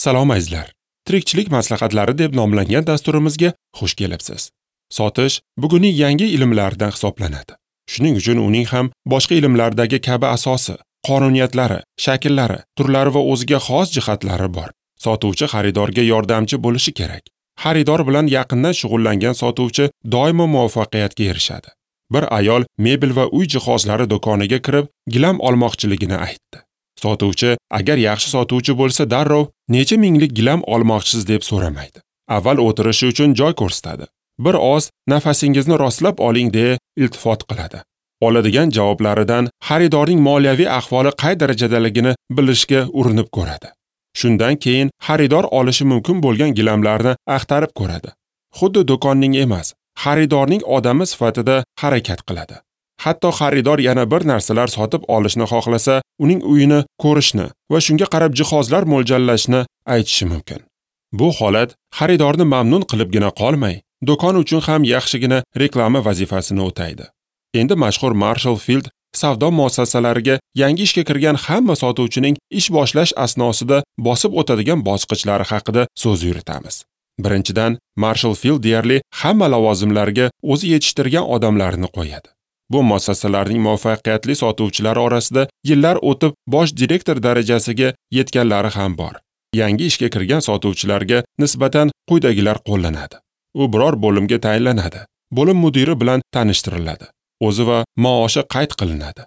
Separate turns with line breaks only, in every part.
Salom azizlar. Tirikchilik maslahatlari deb nomlangan dasturimizga xush kelibsiz. Sotish bugunning yangi ilmlaridan hisoblanadi. Shuning uchun uning ham boshqa ilmlardagi kabi asosi, qonuniyatlari, shakllari, turlari va o'ziga xos jihatlari bor. Sotuvchi xaridorga yordamchi bo'lishi kerak. Xaridor bilan yaqindan shug'ullangan sotuvchi doimo muvaffaqiyatga erishadi. Bir ayol mebel va uy jihozlari do'koniga kirib, gilam olmoqchiligini aytdi. Sotuvchi agar yaxshi sotuvchi bo'lsa, darrov necha minglik gilam olmoqchisiz deb so'ramaydi. Avval o'tirishi uchun joy ko'rsatadi. Bir oz nafasingizni rostlab oling deya iltifot qiladi. Oladigan javoblaridan xaridorning moliyaviy ahvoli qay darajadaligini bilishga urinib ko'radi. Shundan keyin xaridor olishi mumkin bo'lgan gilamlarni axtarib ko'radi. Xuddi do'konning emas, xaridorning odami sifatida harakat qiladi. Hatto xaridor yana bir narsalar sotib olishni xohlasa, uning uyini ko'rishni va shunga qarab jihozlar mo'ljallashni aytishi mumkin. Bu holat xaridorni mamnun qilibgina qolmay, do'kon uchun ham yaxshigina reklama vazifasini o'taydi. Endi mashhur Marshall Field savdo muassasalariga yangi ishga kirgan hamma sotuvchining ish boshlash asnosida bosib o'tadigan bosqichlari haqida so'z yuritamiz. Birinchidan, Marshall Field deyarli hamma lavozimlarga o'zi yetishtirgan odamlarni qo'yadi. Bu muassasalarning muvaffaqiyatli sotuvchilari orasida yillar o'tib bosh direktor darajasiga yetganlari ham bor. Yangi ishga kirgan sotuvchilarga nisbatan quyidagilar qo'llanadi. U biror bo'limga tayinlanadi. Bo'lim mudiri bilan tanishtiriladi. O'zi va maoshi qayd qilinadi.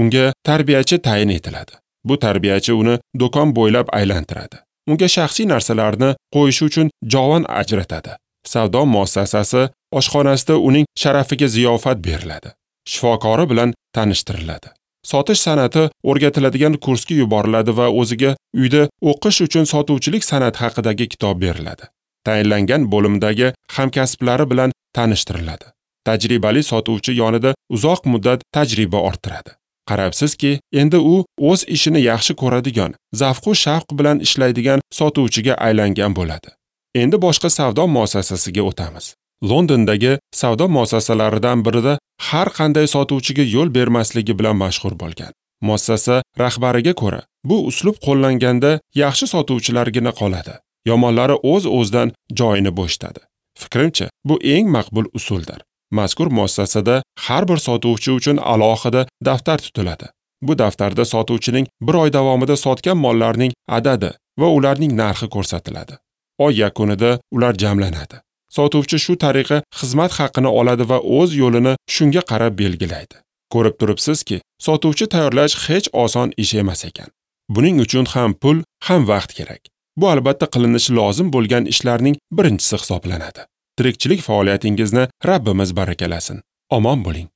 Unga tarbiyachi tayin etiladi. Bu tarbiyachi uni do'kon bo'ylab aylantiradi. Unga shaxsiy narsalarni qo'yish uchun javon ajratadi. Savdo muassasasi oshxonasida uning sharafiga ziyofat beriladi. Shifokori bilan tanishtiriladi. Sotish san'ati o'rgatiladigan kursga yuboriladi va o'ziga uyda o'qish uchun sotuvchilik san'ati haqidagi kitob beriladi. Tayinlangan bo'limdagi hamkasblari bilan tanishtiriladi. Tajribali sotuvchi yonida uzoq muddat tajriba orttiradi. Qarabsizki, endi u o'z ishini yaxshi ko'radigan, zavqu shavq bilan ishlaydigan sotuvchiga aylangan bo'ladi. Endi boshqa savdo muassasasiga o'tamiz. Londondagi savdo muassasalaridan birida har qanday sotuvchiga yo'l bermasligi bilan mashhur bo'lgan. Muassasa rahbariga ko'ra, bu uslub qo'llanganda yaxshi sotuvchilargina qoladi. Yomonlari o'z-o'zidan joyini bo'shatadi. Fikrimcha, bu eng maqbul usuldir. Mazkur muassasada har bir sotuvchi uchun alohida daftar tutiladi. Bu daftarda sotuvchining bir oy davomida sotgan mollarning adadi va ularning narxi ko'rsatiladi. Oy yakunida ular jamlanadi. Sotuvchi shu tariqa xizmat haqini oladi va o'z yo'lini shunga qarab belgilaydi. Ko'rib turibsizki, sotuvchi tayyorlash hech oson ish emas ekan. Buning uchun ham pul, ham vaqt kerak. Bu albatta qilinishi lozim bo'lgan ishlarning birinchisi hisoblanadi. Tirikchilik faoliyatingizni Rabbimiz barakalasin. Omon bo'ling.